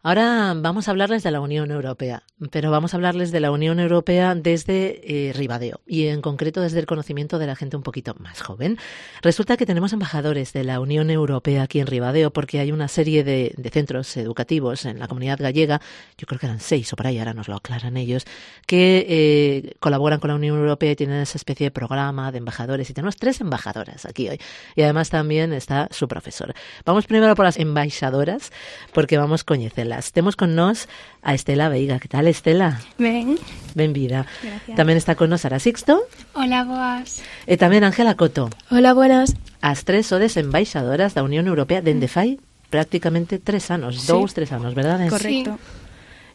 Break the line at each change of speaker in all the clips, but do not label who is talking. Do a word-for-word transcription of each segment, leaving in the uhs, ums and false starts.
Ahora vamos a hablarles de la Unión Europea, pero vamos a hablarles de la Unión Europea desde eh, Ribadeo y en concreto desde el conocimiento de la gente un poquito más joven. Resulta que tenemos embajadores de la Unión Europea aquí en Ribadeo porque hay una serie de, de centros educativos en la comunidad gallega, yo creo que eran seis o por ahí, ahora nos lo aclaran ellos, que eh, colaboran con la Unión Europea y tienen esa especie de programa de embajadores y tenemos tres embajadoras aquí hoy y además también está su profesor. Vamos primero por las embaixadoras porque vamos a coñecerlas. Temos con nós a Estela Veiga. Que tal, Estela?
Ben.
Benvida.
Gracias.
Tamén está con nós Sara Sixto.
Hola, boas.
E tamén Ángela Coto.
Hola, buenas.
As tres sodes embaixadoras da Unión Europea dende fai prácticamente tres anos, sí. dous, tres anos, verdade?
Correcto.
Sí.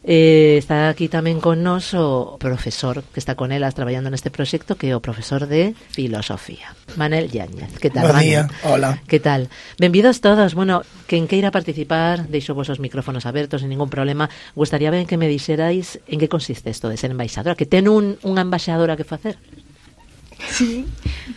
Eh, está aquí tamén con nós o profesor que está con elas traballando neste proxecto, que é o profesor de Filosofía, Manel Yáñez. Que tal,
Buen
Manel?
día, hola.
Que tal? Benvidos todos. Bueno, quen queira participar, deixo vos os micrófonos abertos, sin ningún problema. Gustaría ben que me dixerais en que consiste isto de ser embaixadora, que ten un, unha embaixadora que facer.
Sí,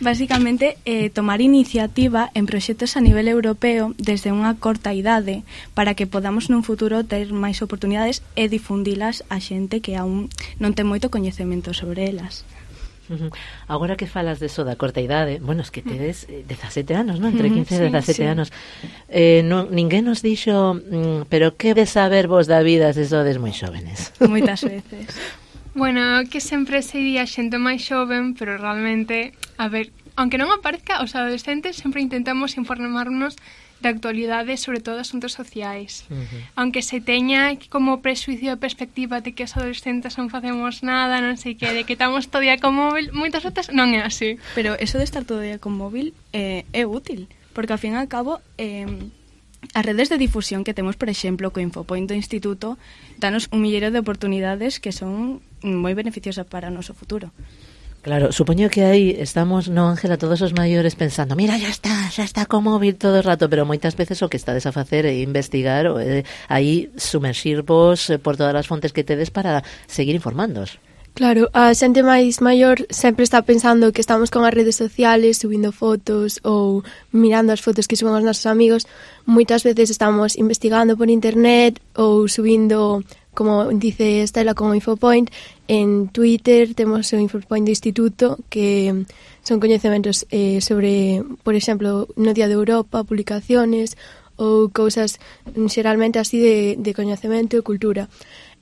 basicamente eh, tomar iniciativa en proxectos a nivel europeo desde unha corta idade para que podamos nun futuro ter máis oportunidades e difundilas a xente que aún non ten moito coñecemento sobre elas.
Uh-huh. Agora que falas de eso da corta idade, bueno, es que tedes eh, dezasete anos, non? Entre quince e dezasete sí, sí. anos. Eh, non, ninguén nos dixo, mm, pero que de saber vos da vida se sodes moi xóvenes?
Moitas veces.
Bueno, que sempre se diría xente máis xoven, pero realmente, a ver, aunque non aparezca, os adolescentes sempre intentamos informarnos da actualidade, sobre todo asuntos sociais. Uh-huh. Aunque se teña como presuicio de perspectiva de que os adolescentes non facemos nada, non sei que, de que estamos todo día con móvil, moitas veces non é así.
Pero eso de estar todo día con móvil eh, é útil, porque ao fin e ao cabo... Eh, as redes de difusión que temos, por exemplo, co Infopoint do Instituto, danos un millero de oportunidades que son moi beneficiosas para o noso futuro.
Claro, supoño que aí estamos, no, Ángela, todos os maiores pensando, mira, ya está, xa está con móvil todo o rato, pero moitas veces o que estades a facer é investigar, ou é aí sumerxirvos por todas as fontes que tedes para seguir informándoos.
Claro, a xente máis maior sempre está pensando que estamos con as redes sociales, subindo fotos ou mirando as fotos que suben os nosos amigos. Moitas veces estamos investigando por internet ou subindo, como dice Estela, con o Infopoint. En Twitter temos o Infopoint do Instituto, que son coñecementos eh, sobre, por exemplo, no Día de Europa, publicaciones ou cousas xeralmente así de, de coñecemento e cultura.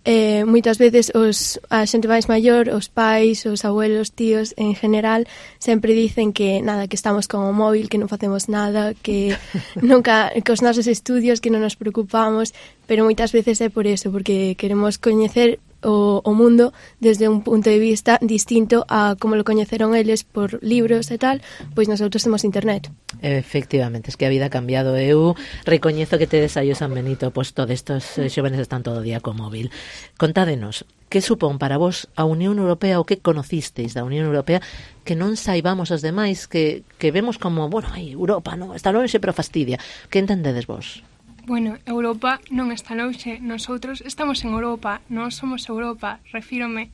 Eh, moitas veces os, a xente máis maior, os pais, os abuelos, tíos, en general, sempre dicen que nada, que estamos con o móvil, que non facemos nada, que nunca, que os nosos estudios, que non nos preocupamos, pero moitas veces é por eso, porque queremos coñecer o, o mundo desde un punto de vista distinto a como lo coñeceron eles por libros e tal, pois nosotros temos internet.
Efectivamente, es que a vida ha cambiado. Eu recoñezo que tedes aí o San Benito posto destos eh, xóvenes están todo o día co móvil. Contádenos, que supón para vos a Unión Europea ou que conocisteis da Unión Europea que non saibamos os demais, que, que vemos como, bueno, ai, Europa, non, está lonxe pero fastidia. Que entendedes vos?
Bueno, Europa non está lonxe, nosotros estamos en Europa, nós somos Europa, refírome.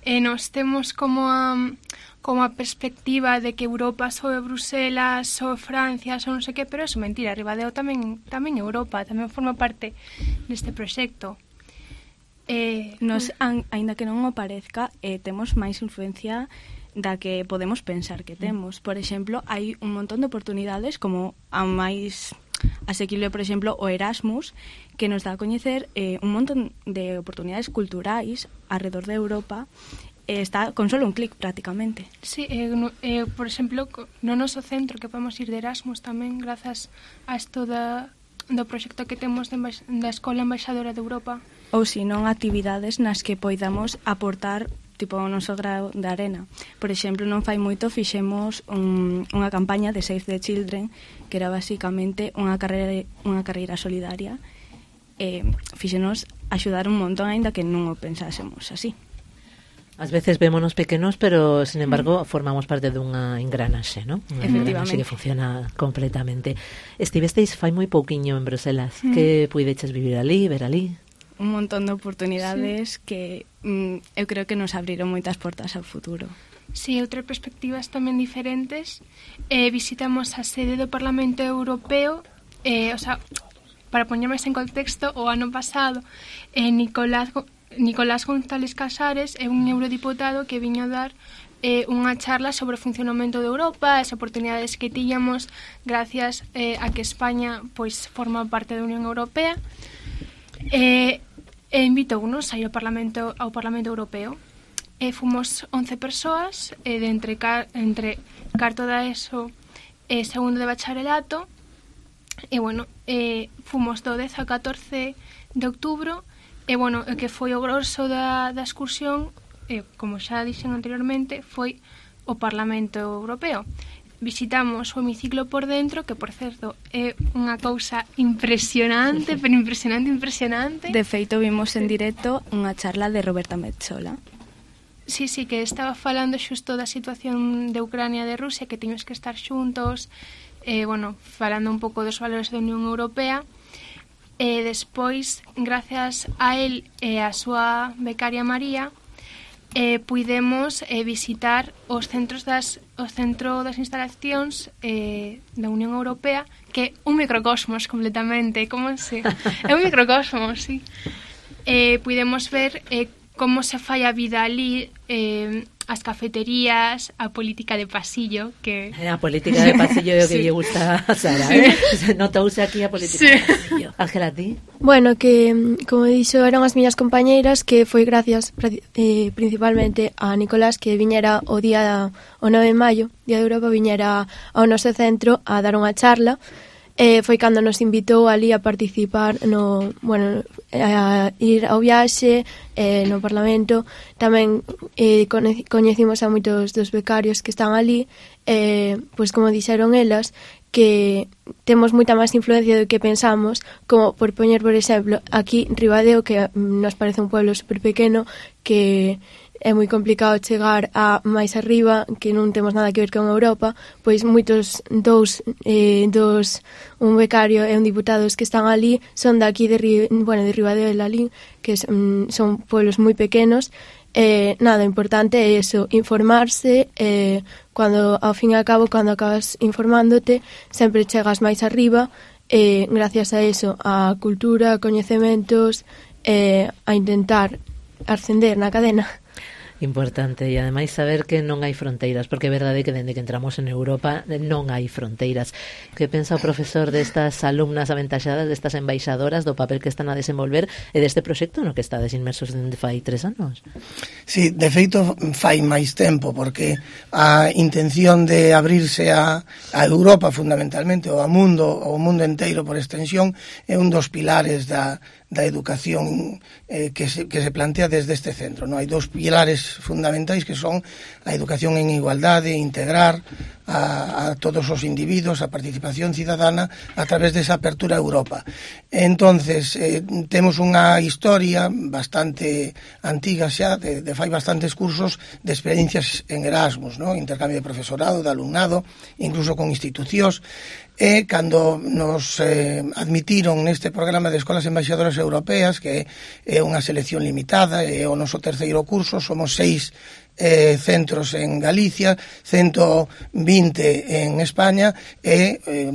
E nos temos como a, como a perspectiva de que Europa soe Bruselas, soe Francia, soe non sei que, pero é mentira, Ribadeo tamén, tamén Europa, tamén forma parte deste proxecto.
Eh, nos, an, aínda que non o parezca, eh, temos máis influencia da que podemos pensar que temos. Por exemplo, hai un montón de oportunidades como a máis asequible, por exemplo, o Erasmus, que nos dá a coñecer eh, un montón de oportunidades culturais alrededor de Europa. Eh, está con solo un clic prácticamente.
Sí, eh, no, eh, por exemplo, no noso centro que podemos ir de Erasmus tamén grazas a isto da, do proxecto que temos de embaix- da Escola Embaixadora de Europa.
Ou se non actividades nas que poidamos aportar tipo o noso grao de arena. Por exemplo, non fai moito fixemos un, unha campaña de Save the Children, que era basicamente unha carreira, unha carreira solidaria, e fixenos axudar un montón, aínda que non o pensásemos así.
Ás veces vémonos pequenos, pero, sin embargo, mm. formamos parte dunha engranaxe, ¿no? Unha engranaxe que funciona completamente. Estivesteis fai moi pouquiño en Bruselas. Mm. Que puideches vivir ali, ver ali?
Un montón de oportunidades sí. que mm, eu creo que nos abriron moitas portas ao futuro.
Sí, outras perspectivas tamén diferentes. Eh, visitamos a sede do Parlamento Europeo, eh, o sea, para poñer máis en contexto, o ano pasado eh, Nicolás, Nicolás González Casares é un eurodiputado que viño dar eh, unha charla sobre o funcionamento de Europa, as oportunidades que tiñamos gracias eh, a que España pois forma parte da Unión Europea, e, e invitounos aí ao Parlamento, ao Parlamento Europeo. E fomos once persoas, e de entre, car, entre carto da ESO e segundo de bacharelato, e bueno, e fomos do dez ao catorce de outubro, e bueno, o que foi o grosso da, da excursión, e como xa dixen anteriormente, foi o Parlamento Europeo. Visitamos o hemiciclo por dentro, que por certo é unha cousa impresionante, pero impresionante, impresionante.
De feito, vimos en directo unha charla de Roberta Metsola.
Sí, sí, que estaba falando xusto da situación de Ucrania e de Rusia, que teños que estar xuntos, eh, bueno, falando un pouco dos valores da Unión Europea, e despois, gracias a él e a súa becaria María, eh, puidemos eh, visitar os centros das, o centro das instalacións eh, da Unión Europea, que é un microcosmos completamente, como se... é un microcosmos, sí. Eh, puidemos ver eh, como se fai a vida ali, eh, as cafeterías, a política de pasillo, que...
A política de pasillo é o que sí. lle gusta a Sara, sí. eh? Notouse aquí a política sí. de pasillo. Ángela, ti?
Bueno, que, como dixo, eran as miñas compañeiras, que foi gracias eh, principalmente a Nicolás, que viñera o día o nove de maio, Día de Europa, viñera ao noso centro a dar unha charla. Eh, foi cando nos invitou ali a participar no, bueno, a ir ao viaxe eh, no Parlamento. Tamén eh, coñecimos a moitos dos becarios que están ali, eh, pois como dixeron elas, que temos moita máis influencia do que pensamos, como por poñer, por exemplo, aquí Ribadeo, que nos parece un pueblo super pequeno, que é moi complicado chegar a máis arriba, que non temos nada que ver con Europa, pois moitos dous, eh, dos, un becario e un diputados que están ali son daqui de, bueno, de Ribadeo de Lalín, que son, son pueblos moi pequenos. Eh, nada, importante é eso, informarse, eh, cando, ao fin e ao cabo, cando acabas informándote, sempre chegas máis arriba, eh, gracias a eso, a cultura, a coñecementos, eh, a intentar ascender na cadena.
Importante, e ademais saber que non hai fronteiras, porque é verdade que dende que entramos en Europa non hai fronteiras. Que pensa o profesor destas alumnas aventaxadas, destas embaixadoras, do papel que están a desenvolver e deste proxecto no que estades inmersos dende fai tres anos?
Sí, de feito fai máis tempo, porque a intención de abrirse a, a Europa fundamentalmente, ou ao mundo, ou ao mundo enteiro por extensión, é un dos pilares da da educación eh, que, se, que se plantea desde este centro, ¿no? Hai dous pilares fundamentais que son a educación en igualdade, integrar a, a todos os individuos, a participación cidadana a través desa apertura a Europa. Entonces, eh, temos unha historia bastante antiga xa, de, de fai bastantes cursos de experiencias en Erasmus, ¿no? Intercambio de profesorado, de alumnado, incluso con institucións. E cando nos eh, admitiron neste programa de escolas embaixadoras europeas, que é unha selección limitada, é o noso terceiro curso, somos seis eh, centros en Galicia, ciento vinte en España e eh,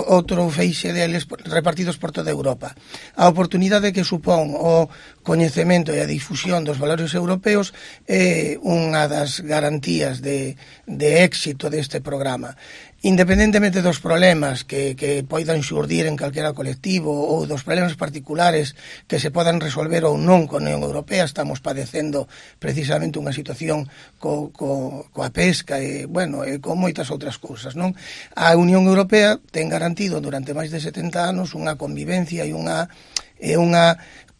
outro feixe deles repartidos por toda Europa. A oportunidade que supón o coñecemento e a difusión dos valores europeos é unha das garantías de, de éxito deste programa. Independentemente dos problemas que, que poidan xurdir en calquera colectivo ou dos problemas particulares que se podan resolver ou non con a Unión Europea, estamos padecendo precisamente unha situación co, co, coa pesca e, bueno, e con moitas outras cousas, non? A Unión Europea ten garantido durante máis de setenta anos unha convivencia e unha, e unha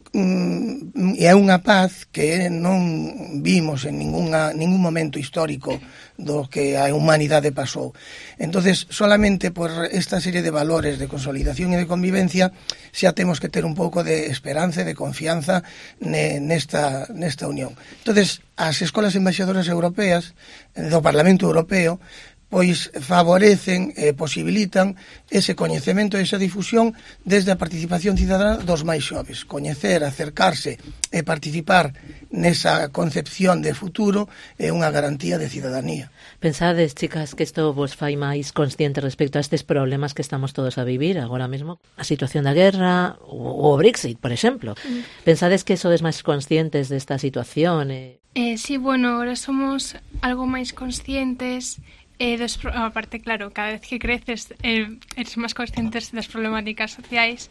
e é unha paz que non vimos en ninguna, ningún momento histórico do que a humanidade pasou. Entonces, solamente por esta serie de valores de consolidación e de convivencia xa temos que ter un pouco de esperanza e de confianza nesta, nesta unión. Entonces, as escolas embaixadoras europeas do Parlamento Europeo pois favorecen e posibilitan ese coñecemento e esa difusión desde a participación cidadana dos máis xoves. Coñecer, acercarse e participar nesa concepción de futuro é unha garantía de cidadanía.
Pensades, chicas, que isto vos fai máis consciente respecto a estes problemas que estamos todos a vivir agora mesmo, a situación da guerra ou o Brexit, por exemplo. Mm. Pensades que sodes máis conscientes desta situación? Eh?
Eh, sí, bueno, ahora somos algo máis conscientes. Eh, des, aparte, claro, cada vez que creces eh, eres máis conscientes das problemáticas sociais.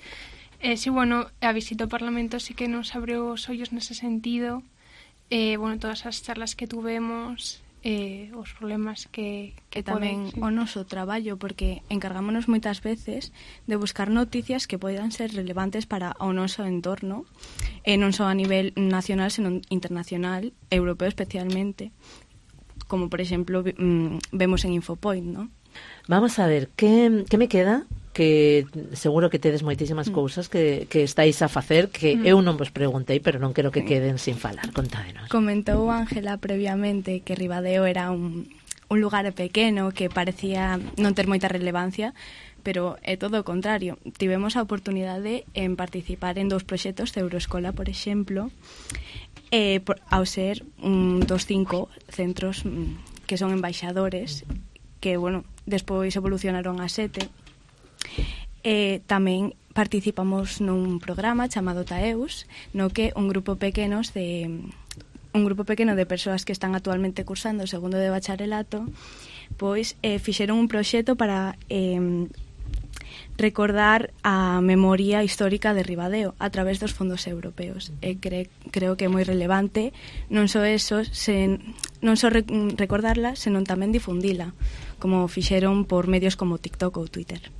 Eh, sí, bueno, a visita ao Parlamento sí que nos abriu os ollos nese sentido. Eh, bueno, todas as charlas que tuvemos, eh, os problemas que, que
e tamén
poden, sí.
O noso traballo, porque encargámonos moitas veces de buscar noticias que poidan ser relevantes para o noso entorno, e non só a nivel nacional, senón internacional, europeo especialmente, como por exemplo mmm, vemos en Infopoint, ¿no?
Vamos a ver, que, que me queda? Que seguro que tedes moitísimas mm. cousas que, que estáis a facer que mm. eu non vos preguntei, pero non quero que queden sin falar. Contádenos.
Comentou Ángela previamente que Ribadeo era un, un lugar pequeno que parecía non ter moita relevancia, pero é todo o contrario. Tivemos a oportunidade en participar en dous proxectos de Euroescola, por exemplo, eh, por, ao ser un dos cinco centros mm, que son embaixadores, que, bueno, despois evolucionaron a sete. Eh, tamén participamos nun programa chamado Taeus, no que un grupo pequenos de un grupo pequeno de persoas que están actualmente cursando o segundo de bacharelato, pois eh, fixeron un proxecto para eh, recordar a memoria histórica de Ribadeo a través dos fondos europeos. E cre, creo que é moi relevante non só eso, sen, non só re, recordarla, senón tamén difundila, como fixeron por medios como TikTok ou Twitter.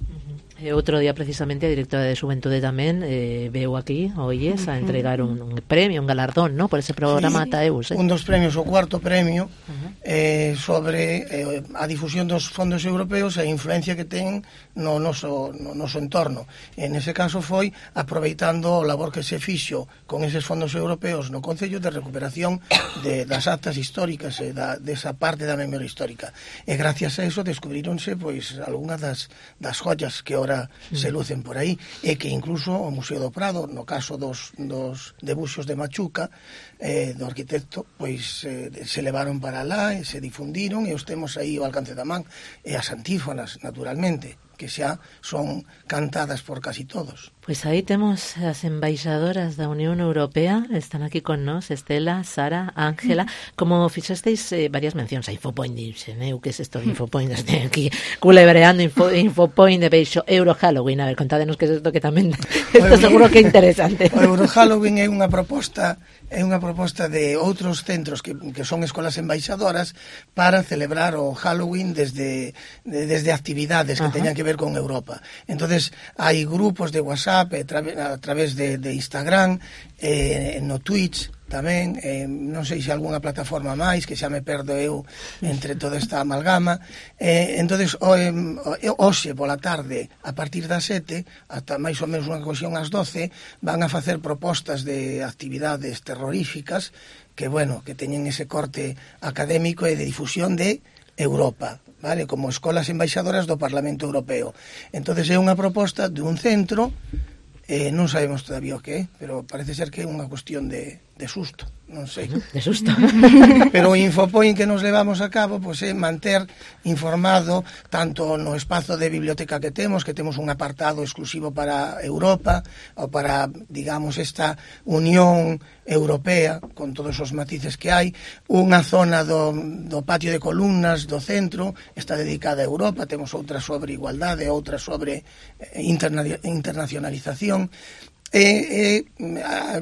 E outro día, precisamente, a directora de Xuventude tamén eh, veu aquí, oíes, a entregar un, un premio, un galardón, ¿no?, por ese programa sí, Taeus. Eh?
Un dos premios, o cuarto premio, uh-huh. eh, sobre eh, a difusión dos fondos europeos e a influencia que ten no noso, no noso entorno. En ese caso foi aproveitando o labor que se fixo con eses fondos europeos no Concello de recuperación de, das actas históricas e da, desa parte da memoria histórica. E gracias a eso descubrironse pois algunhas das, das joyas que ahora se lucen por aí, e que incluso o Museo do Prado, no caso dos, dos debuxos de Machuca, eh, do arquitecto, pois eh, se levaron para lá e se difundiron, e os temos aí ao alcance da man, e as antífonas, naturalmente, que xa son cantadas por casi todos.
Pois aí temos as embaixadoras da Unión Europea, están aquí con nós, Estela, Sara, Ángela. Como fixesteis eh, varias mencións a Infopoint, dixen, eu que é isto de Infopoint, estou aquí culebreando Info, Infopoint de Beixo, Euro Halloween, a ver, contádenos que é isto que tamén isto seguro que é interesante.
O Euro Halloween é unha proposta é unha proposta de outros centros que, que son escolas embaixadoras para celebrar o Halloween desde, de, desde actividades que Ajá. teñan que ver con Europa. Entonces hai grupos de WhatsApp a través de, de Instagram, eh, no Twitch tamén, eh, non sei se algunha plataforma máis, que xa me perdo eu entre toda esta amalgama. Eh, entonces o, eh, hoxe pola tarde, a partir das sete ata máis ou menos unha cuestión ás doce, van a facer propostas de actividades terroríficas que, bueno, que teñen ese corte académico e de difusión de Europa, vale, como escolas embaixadoras do Parlamento Europeo. Entonces é unha proposta de un centro, eh, non sabemos todavía o que é, pero parece ser que é unha cuestión de, de susto, non sei.
De susto.
Pero o Infopoint que nos levamos a cabo pois é manter informado tanto no espazo de biblioteca que temos, que temos un apartado exclusivo para Europa, ou para, digamos, esta Unión Europea, con todos os matices que hai, unha zona do, do patio de columnas do centro está dedicada a Europa, temos outra sobre igualdade, outra sobre interna, internacionalización, e, e a,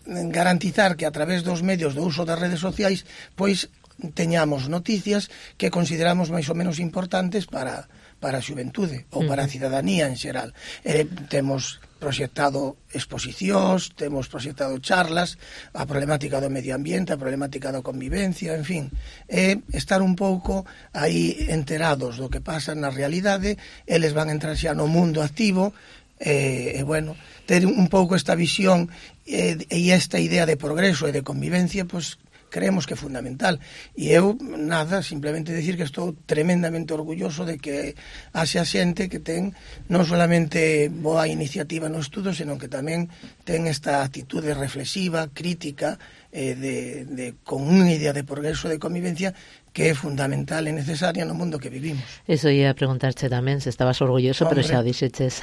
garantizar que a través dos medios do uso das redes sociais pois teñamos noticias que consideramos máis ou menos importantes para, para a xuventude ou para a cidadanía en xeral. Eh, temos proxectado exposicións, temos proxectado charlas, a problemática do medio ambiente, a problemática da convivencia, en fin, é estar un pouco aí enterados do que pasa na realidade. Eles van entrar xa no mundo activo, e, e bueno, ter un pouco esta visión e, e esta idea de progreso e de convivencia, pois creemos que é fundamental. E eu, nada, simplemente decir que estou tremendamente orgulloso de que haxe a xente que ten non solamente boa iniciativa no estudo, senón que tamén ten esta actitude reflexiva, crítica, eh, de, de, con unha idea de progreso de convivencia que é fundamental e necesaria no mundo que vivimos.
Eso ia a preguntarche tamén, se estabas orgulloso,
Hombre,
pero xa o dixeches.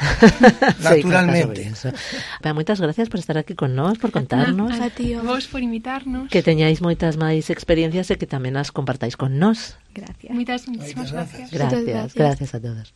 Naturalmente.
Sí, moitas gracias por estar aquí con nós, por contarnos.
A ti,
vos por invitarnos.
Que teñáis moitas máis experiencias e que tamén as compartáis con nós.
Gracias.
Moitas, moitísimas
gracias.
gracias.
Gracias, gracias a todos.